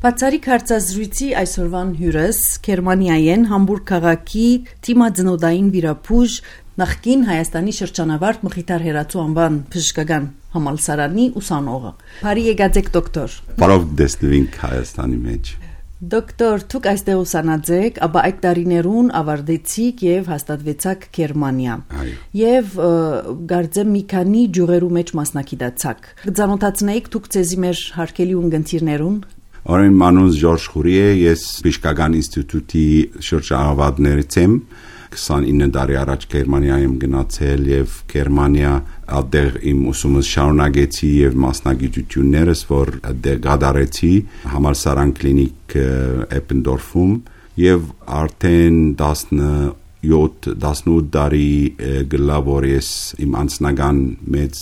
Բացառիկ հարցազրույցի այսօրվան հյուրս Գերմանիայեն Համբուրգ քաղաքի թիմաձնոդային վիրապուժ նախկին Հայաստանի շրջանավարտ Մխիթար Հերացու անվան բժշկական համալսարանի ուսանողը։ Բարի եկած եք դոկտոր։ Բարով դեսնվինք Հայաստանի մեջ։ Դոկտոր, դուք այստեղ ուսանած եք, ապա այդ տարիներուն ավարտեցիք եւ հաստատվեցաք Գերմանիա։ Եվ գարձեմ մի քանի ջուրերու մեջ մասնակցացաք։ Կծանոթացնեիք դուք ցեզի մեր հարկելի ունգընտիրներուն։ Օրեն մանուս Ժորժ Խուրի է, ես Բժշկական ինստիտուտի շրջանավարտներից եմ, 29 տարի առաջ Գերմանիա եմ գնացել եւ Գերմանիա այդտեղ իմ ուսումս շարունակեցի եւ մասնագիտություններս, որ այդտեղ գդարեցի համալսարան կլինիկ Էպենդորֆում եւ արդեն 17-18 տարի գլա որ ես իմ անձնական մեծ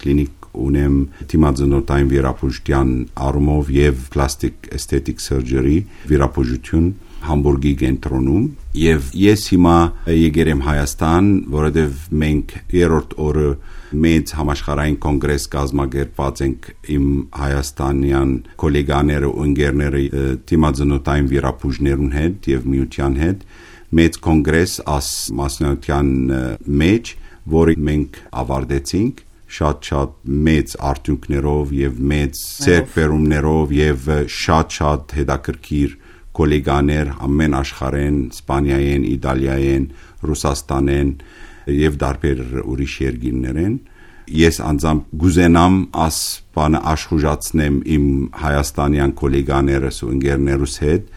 կլինիկ ունեմ թիմաձնոտային վիրապուժության առումով եւ պլաստիկ էսթետիկ սըրջերի վիրապուժություն Համբուրգի կենտրոնում եւ ես հիմա եկել եմ Հայաստան, որովհետեւ մենք երրորդ օրը մեծ համաշխարհային կոնգրես կազմակերպած ենք իմ հայաստանյան գոլեգաները ու ընկերները թիմաձնոտային վիրապուժներուն հետ եւ միության հետ մեծ կոնգրես աս մասնաության մեջ, որը մենք ավարտեցինք շատ մեծ արդյունքներով եւ մեծ ձեռքբերումներով եւ շատ հետաքրքիր գոլեգաներ ամեն աշխարհեն, Իսպանիայեն, Իտալիայեն, Ռուսաստանեն եւ դարբեր ուրիշ երկրներեն։ Ես անձամբ գուզենամ աս բանը աշխուժացնեմ իմ հայաստանյան գոլեգաներս ու ընկերներուս հետ,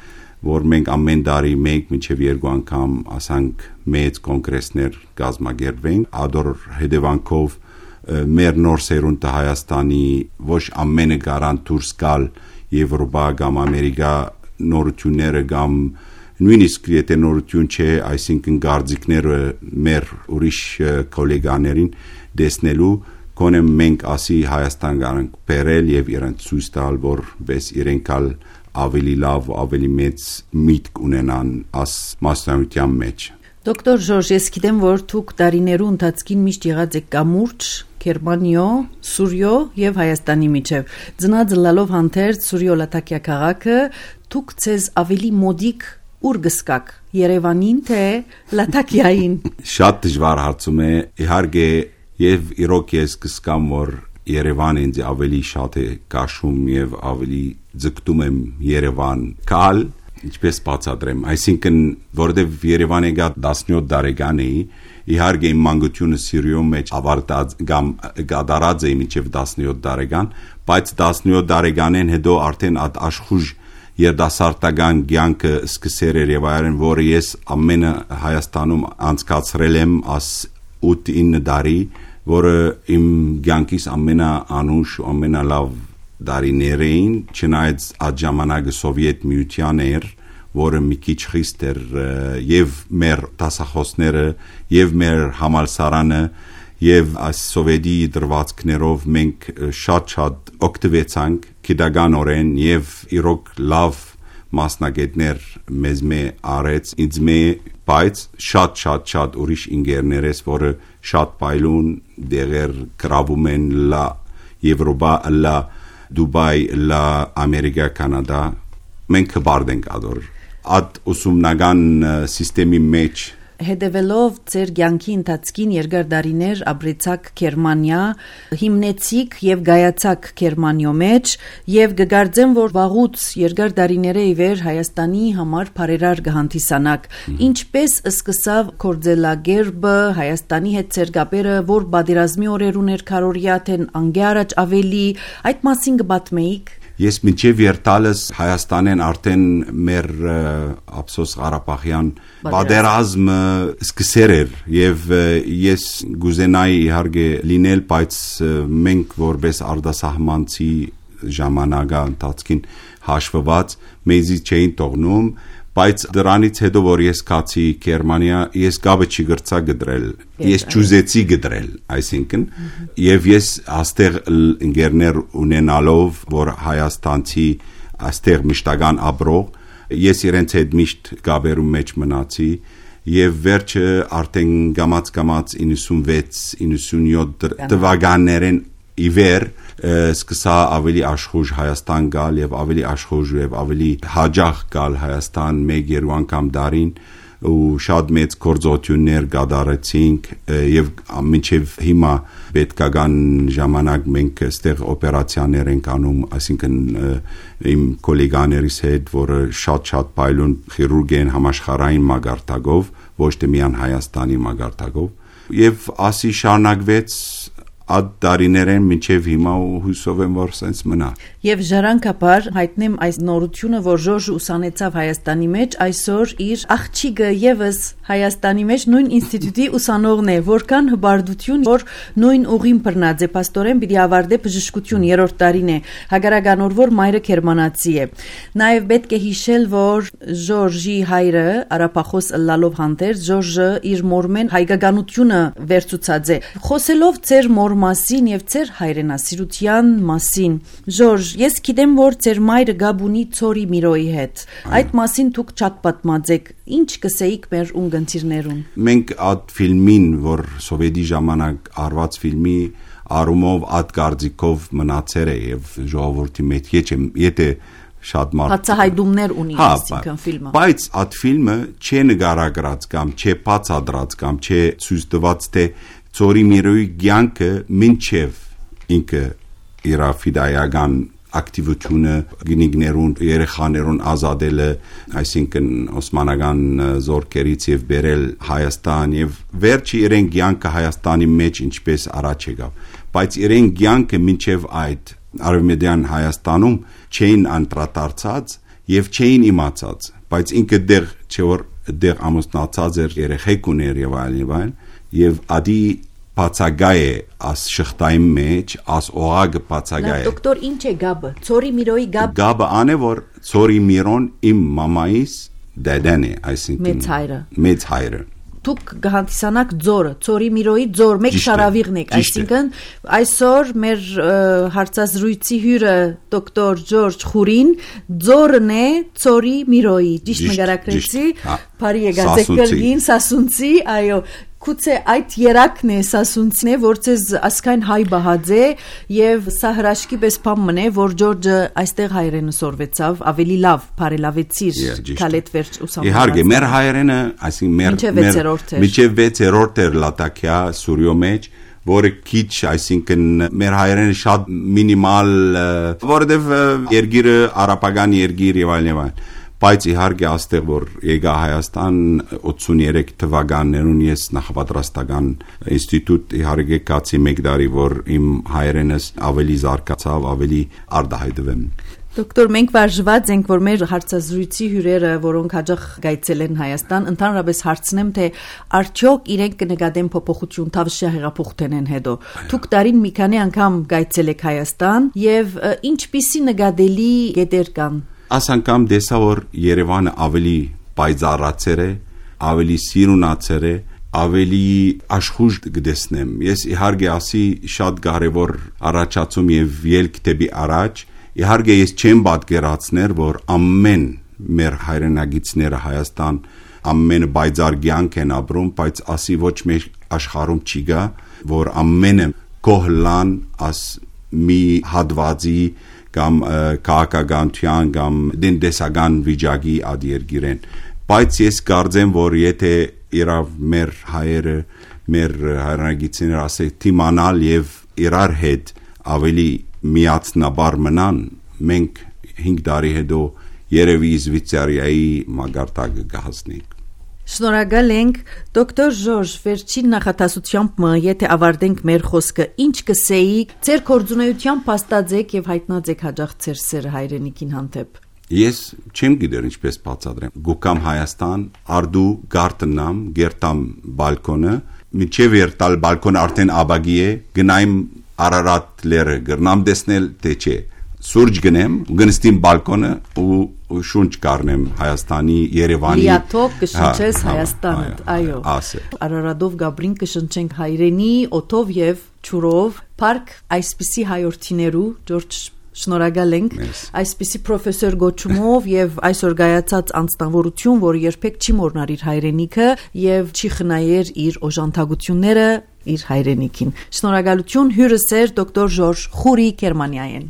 որ մենք ամեն տարի մեկ մինչև երկու անգամ ասանք մեծ կոնգրեսներ կազմակերպենք, ադոր հետևանքով մեր նոր սերունդը Հայաստանի ոչ ամենը գարան դուրս գալ Եվրոպա կամ Ամերիկա նորությունները կամ նույնիսկ եթե նորություն չէ, այսինքն գարձիկները մեր ուրիշ գոլեգաներին դեսնելու կոնե մենք ասի Հայաստան գանք բերել եւ իրենց ցույց տալ, որպես իրենքալ ավելի լավ, ավելի մեծ միտք ունենան աս մասնաության մեջ։ Դոկտոր Ժորժ, ես գիտեմ, որ դուք տարիներու ընթացքին միշտ եղած եք կամուրջ Գերմանիո, Սուրիո եւ Հայաստանի միջև։ Ծնած լալով հանդերձ Սուրիո Լատակիա քաղաքը, դուք ցեզ ավելի մոդիկ ուր գսկակ Երևանին թե Լատակիային։ Շատ դժվար հարցում է, իհարկե եւ իրոք ես գսկամ, որ Երևանը ինձ ավելի շատ է կաշում եւ ավելի ձգտում եմ Երևան կալ, ինչպես բացատրեմ, այսինքն որովհետեւ Երևանը գա 17 տարեկան էի, իհարկե իմ մանկությունը Սիրիոյում մեջ ավարտած կամ գդարած էի մինչև 17 տարեկան, բայց 17 տարեկանեն հետո արդեն աշխուժ երդասարտական կյանքը սկսել էր եւ այլն, որը ես ամենը Հայաստանում անցկացրել եմ աս 8-9 տարի, որը իմ կյանքիս ամենաանուշ ու ամենալավ տարիներ էին, չնայած այդ ժամանակը Սովետ միության էր, որը մի քիչ խիստ էր եւ մեր դասախոսները եւ մեր համալսարանը եւ այս սովետի դրվածքներով մենք շատ օգտվեցանք գիտականորեն եւ իրոք լավ մասնագետներ մեզ արեց ինձ բայց շատ ուրիշ ինգերներես, որը շատ պայլուն դեղեր գրավում են լա Եվրոպա, լա Դուբայ, լա Ամերիկա, Կանադա, մենք բարդենք ադոր Այդ ուսումնական սիստեմի մեջ Հետևելով ձեր կյանքի ընթացքին երկար տարիներ ապրեցաք Գերմանիա, հիմնեցիք եւ գայացաք Գերմանիո մեջ եւ կգարձեմ, որ վաղուց երկար տարիները ի վեր Հայաստանի համար բարերար կհանդիսանաք։ Ինչպես սկսավ կորձելագերբը Հայաստանի հետ ձեր գաբերը, որ բادرազմի օրերուն էր քարորիա թե անգե առաջ ավելի, այդ մասին կպատմեիք։ Ես մինչև երթալս Հայաստանեն արդեն մեր ափսոս Ղարաբաղյան բادرազմը սկսեր էր եւ ես գուզենայի իհարկե լինել, բայց մենք որպես արտասահմանցի ժամանակա ընթացքին հաշվված մեզի չէին թողնում, բայց դրանից հետո որ ես կացի Գերմանիա, ես գաբը չգրծա գդրել, ես ճուզեցի գդրել, այսինքն եւ ես աստեղ ընկերներ ունենալով, որ հայաստանցի աստեղ մշտական ապրող, ես իրենց հետ միշտ գաբերում մեջ մնացի եւ վերջը արդեն գամած 96-97 թվականներին իվեր սկսա ավելի աշխուժ Հայաստան գալ եւ ավելի աշխուժ եւ ավելի հաջող գալ Հայաստան 1-2 անգամ դարին ու շատ մեծ գործողություններ կատարեցինք եւ մինչեւ հիմա պետքական ժամանակ մենք այստեղ օպերացիաներ ենք անում, այսինքն իմ գոլեգաներիս հետ, որը շատ փայլուն քիրուրգ են համաշխարհային մագարտակով, ոչ թե միայն Հայաստանի մագարտակով եւ ասի շարունակվեց Ad դարիներեն մինչև հիմա ու հույսով եմ որ սենց մնա։ Եվ ժառանգապար հայտնեմ այս նորությունը, որ Ժորժը ուսանեցավ Հայաստանի մեջ, այսօր իր աղջիկը եւս Հայաստանի մեջ նույն ինստիտուտի ուսանողն է, որքան հբարդություն, որ նույն ուղին բռնած է, պաստորեն պիտի ավարտե բժշկություն 3-րդ տարին է, հագարականոր որ մայրը գերմանացի է։ Նաեւ պետք է հիշել, որ Ժորժի հայրը արաբախոս ըլլալով հանդերձ Ժորժը իր մորմեն հայկականությունը վերցուցած է։ Խոսելով ծեր մասին եւ ծեր հայրենասիրության մասին։ Ժորժ, ես գիտեմ, որ ծեր մայրը գաբ ունի Ծորի Միրոյի հետ։ Այդ մասին դուք շատ պատմած եք։ Ինչ կսեիք մեր ունգընտիրներուն։ Մենք այդ ֆիլմին, որ սովետի ժամանակ արված ֆիլմի արումով այդ գարձիկով մնացել է եւ ժողովրդի մեջ եթե շատ մարդ հացահայտումներ ունի այսինքն ֆիլմը։ Բայց այդ ֆիլմը չէ նկարագրած կամ չէ բացատրած կամ չէ ցույց տված թե Ծորի Միրոյի կյանքը մինչև ինքը իր ֆիդայական ակտիվությունը գինիգներուն երեխաներուն ազատելը, այսինքն օսմանական զորքերից եւ բերել Հայաստան եւ վերջի իրեն կյանքը Հայաստանի մեջ ինչպես առաջ եկավ, բայց իրեն կյանքը մինչև այդ արևմտյան Հայաստանում չէին անդրադարձած եւ չէին իմացած, բայց ինքը դեռ չէ որ դեռ ամուսնացած էր, երեխեք ուներ եւ այլն եւ ադի բացագայ է աս շղթայի մեջ աս օղագը բացագայ է դոկտոր ինչ է գաբը Ծորի Միրոյի գաբը անը որ Ծորի Միրոն իմ մամայիս դեդեն է այսինքն մեծ հայրը դուք գահանտիսանակ ձորը Ծորի Միրոյի ձոր մեկ շարավիղն եք այսինքն այսօր մեր հարցազրույցի հյուրը դոկտոր Ժորժ Խուրին ձորն է Ծորի Միրոյի ճիշտ նկարագրեցի բարի եկած եք կրգին սասունցի այո Կուցե այդ երակն է սասունցն է, որ ցեզ ասկայն հայ բահած է եւ սա հրաշքի պես բան մնե, որ Ժորժը այստեղ հայրենը սորվեցավ, ավելի լավ, բարելավեցիր քալետ վերջ ուսանող։ Իհարկե, մեր հայրենը, այսինքն միջև 6-րդ էր լատակյա Սուրյո մեջ, որը քիչ, այսինքն մեր հայրենը շատ մինիմալ, որովհետեւ երգիրը արաբական երգիր եւ այլն Բայց իհարկե աստեղ որ եկա Հայաստան 83 թվականներուն ես նախապատրաստական ինստիտուտ իհարկե կացի մեկ տարի որ իմ հայրենս ավելի զարգացավ ավելի արդահայտվեմ Դոկտոր մենք վարժված ենք որ մեր հարցազրույցի հյուրերը որոնք հաջող գայցել են Հայաստան ընդհանրապես հարցնեմ թե արդյոք իրենք կնկատեն փոփոխություն թավշյա հեղափոխության են հետո Դուք տարին մի քանի անգամ գայցել եք Հայաստան եւ ինչպիսի նկատելի գետեր կան Աս անգամ դեսա որ Երևանը ավելի պայծառացեր է, ավելի սիրունացեր է, ավելի աշխուժ կդեսնեմ։ Ես իհարկե ասի շատ կարևոր առաջացում եւ ելք դեպի առաջ։ Իհարկե ես չեմ պատկերացներ, որ ամեն մեր հայրենագիտները Հայաստան ամենը պայծառ կյանք են ապրում, բայց ասի ոչ մեր աշխարհում չի գա, որ ամենը կողլան աս մի հատվածի կամ քաղաքականության կամ դենտեսական վիճակի ադիերգիրեն բայց ես կարծեմ որ եթե իրավ մեր հայերը մեր հայրենագիտները ասել թիմանալ եւ իրար հետ ավելի միացնաբար մնան մենք 5 տարի հետո երևի Շվեյցարիայի մագարտակը կհասնենք Շնորհակալ ենք դոկտոր Ժորժ վերջին նախատասությամբ եթե ավարտենք մեր խոսքը ինչ կսեիք ձեր կորձունեությամբ փաստած եք եւ հայտնած եք հաջող ձեր սերը հայրենիքին հանդեպ Ես չեմ գիտեր ինչպես բացատրեմ գուկամ Հայաստան արդու գարտնամ գերտամ բալկոնը միջև երտալ բալկոնը արդեն աբագի է գնայմ Արարատ լերը գրնամ դեսնել թե չէ Սուրջ գնեմ, գնստիմ բալկոնը ու շունչ կարնեմ Հայաստանի Երևանի Լիաթոք կշնչես Հայաստանը, այո Արարատով Գաբրին կշնչենք հայրենի, օթով եւ ջուրով Փարք այսպիսի հայորդիներու Ժորժ Շնորհակալ ենք այսպիսի պրոֆեսոր գոչումով եւ այսօր գայացած անձնավորություն, որը երբեք չի մոռնար իր հայրենիքը եւ չի խնայեր իր օժանդակությունները իր հայրենիքին։ Շնորհակալություն հյուրս էր դոկտոր Ժորժ Խուրի Գերմանիայեն։